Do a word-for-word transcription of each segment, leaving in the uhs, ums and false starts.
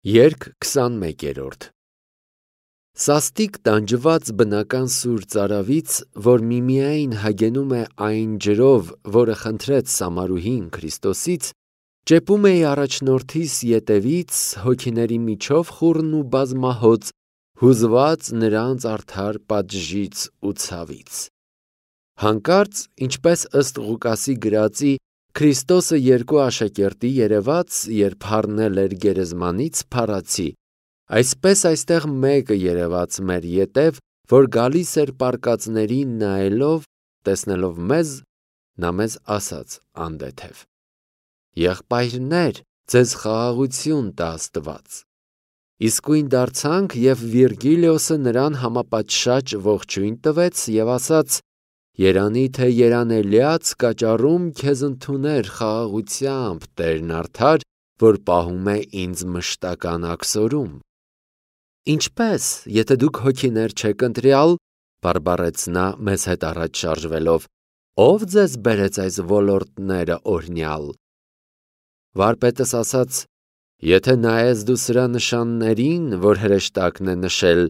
Երգ քսանմեկերորդ Սաստիկ տանջված բնական սուր ծարավից, որ միմիայն հագենում է այն ջրով, որը խնդրեց Սամարուհին Քրիստոսից, ճեպում էի առաջնորդիս ետևից հոգիների միջով խուռն ու բազմահոծ, հուզված նրանց արդար պատժից ու ցավից։ Հանկարծ, ինչպես ըստ Ղուկասի գրածի, Քրիստոսը երկու աշակերտի երևաց, երբ հառնել էր գերեզմանից, փառացի, այսպես այստեղ մեկը երևաց մեր ետև, որ գալիս էր պառկածներին նայելով, տեսնելով մեզ, նա մեզ ասաց անդեթև. «Եղբայրներ, ձեզ խաղաղություն տա Աստված»։ Իսկույն դարձանք, և Վիրգիլիոսը նրան համապատշաճ ողջույն տվեց և ասաց. «Երանի թե երանելյաց կաճառում քեզ ընդուներ խաղաղությամբ Տերն արդար, որ պահում է ինձ մշտական աքսորում»։ «Ինչպե՞ս, եթե դուք հոգիներ չեք ընտրյալ», բարբառեց նա մեզ հետ առաջ շարժվելով, «ո՞վ ձեզ բերեց այս ոլորտները օրհնյալ»։ Վարպետս ասաց. «Եթե նայես դու սրա նշաններին, որ հրեշտակն է նշել,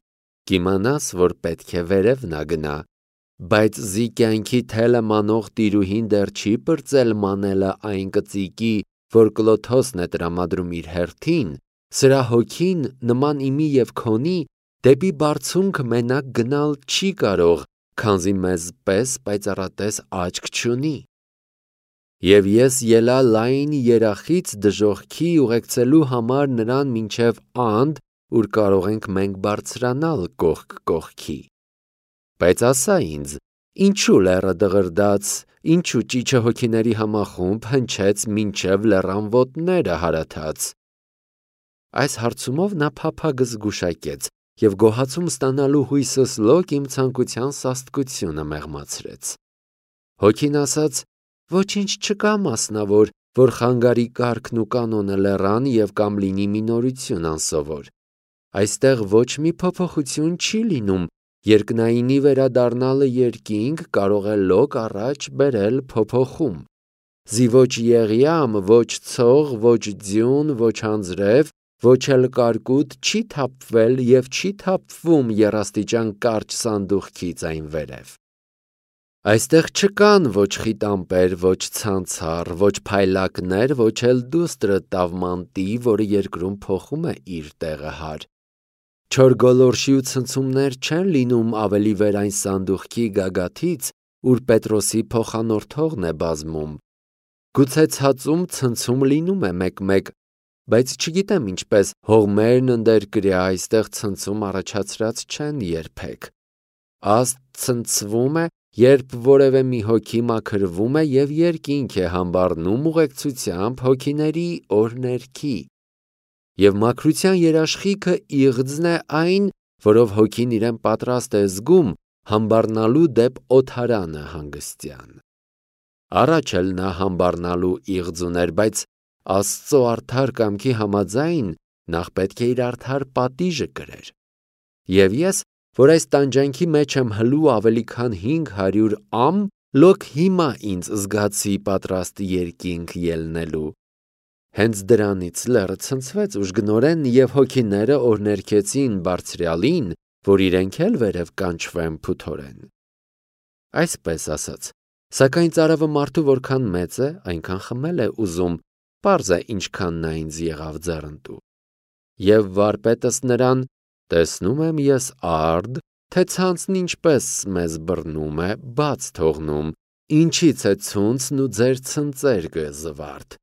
կիմանաս, որ պետք է վերև նա գնա, բայց զի կյանքի թելը մանող տիրուհին դեռ չի պրծել մանելը այն կծիկի, որ Կլոթոսն է տրամադրում իր հերթին, սրա հոգին, նման իմի և քոնի, դեպի բարձունքը մենակ գնալ չի կարող, քանզի մեզ պես պայծառատես աչք չունի։ Եվ ես ելա լայն երախից դժոխքի ուղեկցելու համար նրան մինչև անդ, ուր կարող ենք մենք բարձրանալ կողք կողքի։ Բայց ասա ինձ, ինչու լեռը դղրդաց, ինչու ճիչը հոգիների համախումբ հնչեց մինչև լեռան ոտները հարաթաց։ Այս հարցումով նա փափագս զգուշակեց և գոհացում ստանալու հույսս լոկ իմ ցանկության սաստկությունը մեղմացրեց։ Հոգին ասաց. «Ոչինչ չկա մասնավոր, որ խանգարի կարգն ու կանոնը լեռան և կամ լինի մի նորություն անսովոր։ Այստեղ ոչ մի փոփոխություն չի լինում, երկնայինի վերադառնալը երկինք կարող է լոկ առաջ բերել փոփոխում։ Զի ոչ եղյամ, ոչ ցող, ոչ ձյուն, ոչ անձրև, ոչ էլ կարկուտ չի թափվել և չի թափվում եռաստիճան կարճ սանդուղքից այն վերև։ Այստեղ չկան ոչ խիտ ամպեր, ոչ ցանցառ, ոչ փայլակներ, ոչ էլ դուստրը տավմանտի, որը երկրում փոխում է իր տեղը հարկ։ Չոր գոլորշի ու ցնցումներ չեն լինում ավելի վեր այն սանդուղքի գագաթից, ուր Պետրոսի փոխանորդողն է բազմում։ Գուցե ցածում ցնցում լինում է մեկ-մեկ, բայց չգիտեմ ինչպես հողմերն ընդերկրյա այստեղ ցնցում առաջացրած չեն երբեք։ Աստ ցնցվում է, երբ որևէ մի հոգի մաքրվում է և երկինք է համբառնում ուղեկցությամբ հոգիների օրհներքի։ Եվ մաքրության երաշխիքը իղձն է այն, որով հոգին իրեն պատրաստ է զգում համբառնալու դեպ օդարանը հանգստյան։ Առաջ էլ նա համբառնալու իղձ ուներ, բայց Աստծո արդար կամքի համաձայն նախ պետք է իր արդար պատիժը կրեր։ Եվ ես, որ այս տանջանքի մեջ եմ հլու ավելի քան հինգ հարյուրամ, լոկ հիմա ինձ զգացի պատրաստ երկինք ելնելու։ Հենց դրանից լեռը ցնցվեց ուժգնորեն, և հոգիները օրհներգեցին Բարձրյալին, որ իրենք էլ վերև կանչվեն փութորեն։ Այսպես ասած, սակայն ծարավը մարդու որքան մեծ է, այնքան խմել է ուզում, պարզ է ինչքան նա ինձ եղավ ձեռնտու։ Եվ վարպետս նրան. «Տեսնում եմ ես արդ, թե ցանցն ինչպես մեզ բռնում է, բաց թողնում, ինչից է ցունցն ու ձեր ցնծերգը զվարթ։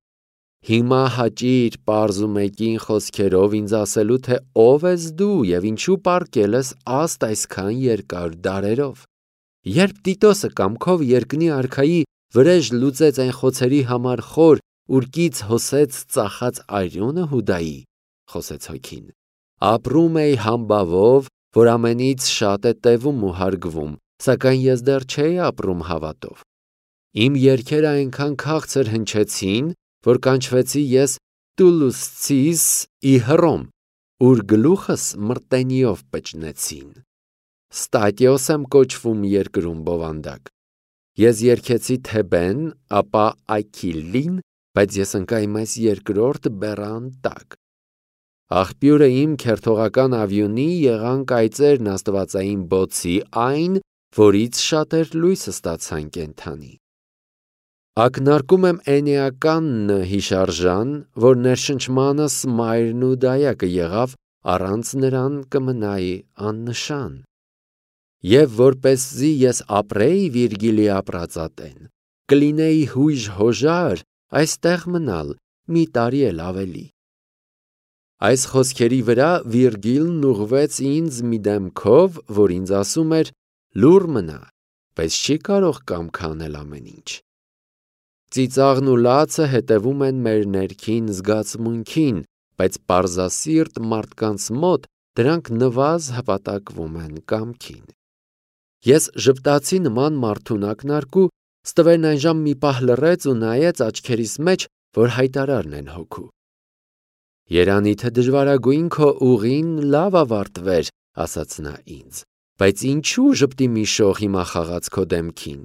Հիմա հաճիր պարզ ու մեկին խոսքերով ինձ ասելու, թե ով ես դու և ինչու պառկել ես աստ այսքան երկար դարերով։ Երբ Տիտոսը կամքով երկնի արքայի վրեժ լուծեց այն խոցերի համար խոր, ուր կից հոսեց ծախած արյունը Հուդայի, խոսեց հոգին, ապրում էի համբավով, որ ամենից շատ է տևում ու հարգվում, սակայն ես դեռ չէի ապրում հավատով։ Իմ երգերը այնքան քաղցր հնչեցին, որ կանչվեցի ես Տուլուսցիս ի Հռոմ, ուր գլուխս մրտենիով պճնեցին։ Ստատիոս եմ կոչվում երկրում բովանդակ։ Ես երգեցի Թեբեն, ապա Այքիլին, բայց ես ընկա իմ այս երկրորդ բեռան տակ։ Աղբյուրը իմ քերթողական ավյունի եղան կայծերն աստվածային բոցի այն, որից շատեր լույսը ստացան կենթանի։ Ակնարկում եմ էնեականն հիշարժան, որ ներշնչմանս մայրն ու դայակը եղավ, առանց նրան կմնայի աննշան։ Եվ որպեսզի ես ապրեի Վիրգիլի ապրածատեն, կլինեի հույժ հոժար այստեղ մնալ մի տարի էլ ավելի։ Այս խոսքերի վրա Վիրգիլն ուղղվեց ինձ մի դեմքով, որ ինձ ասում էր. լուռ մնա, բայց չի կարող կամք անել ամեն ինչ։ Ծիծաղն ու լացը հետևում են մեր ներքին զգացմունքին, բայց պարզասիրտ մարդկանց մոտ դրանք նվազ հպատակվում են կամքին։ Ես ժպտացի նման մարդուն ակնարկու, ստվերն այնժամ մի պահ լռեց ու նայեց աչքերիս մեջ, որ հայտարարն են հոգու։ Երանի թե դժվարագույն քո ուղին լավ ավարտվեր, ասաց նա ինձ, բայց ինչու ժպտի մի շող հիմա խաղաց քո դեմքին։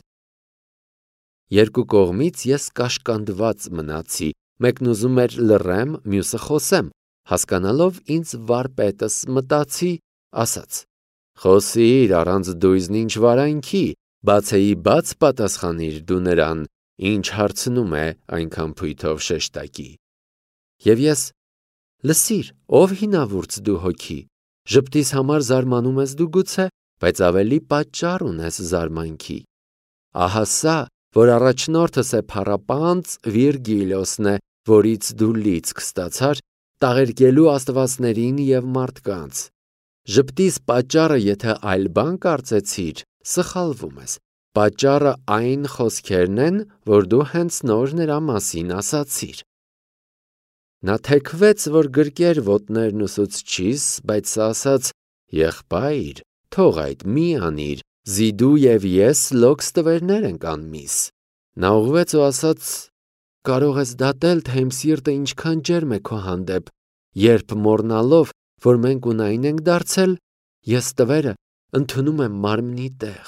Երկու կողմից ես կաշկանդված մնացի, մեկն ուզում էր լռեմ, մյուսը խոսեմ, հասկանալով ինձ վարպետս մտածի, ասաց. խոսիր առանց դույզն ինչ վարանքի, բացեի բաց պատասխանիր դու նրան, ինչ հարցնում է այնքան փույթով շեշտակի։ Եվ ես. լսիր, ով հինավուրց դու հոգի, ժպտիս համար զարմանում ես դու գուցե, բայց ավելի պատճառ ունես զարմանքի։ Ահա սա, որ առաջնորդս է փառապանծ Վիրգիլիոսն է, որից դու լիցք ստացար, տաղերկելու աստվածներին և մարդկանց։ Ժպտիս պատճառը, եթե այլ բան կարծեցիր, սխալվում ես, պատճառը այն խոսքերն են, որ դու հենց նոր նրա մասին ասացիր։ Նա թեքվեց, որ գրկեր ոտներն ուսուցչիս, բայց ասաց. եղբայր, թող այդ մի անիր, զի դու և ես լոքս տվերներ ենք անմիս։ Նա ուղղվեց ու ասաց. կարող ես դատել, թե իմ սիրտը ինչքան ջերմ է քո հանդեպ, երբ մոռնալով, որ մենք ունայն ենք դարձել, ես տվերը ընդունում եմ մարմնի տեղ։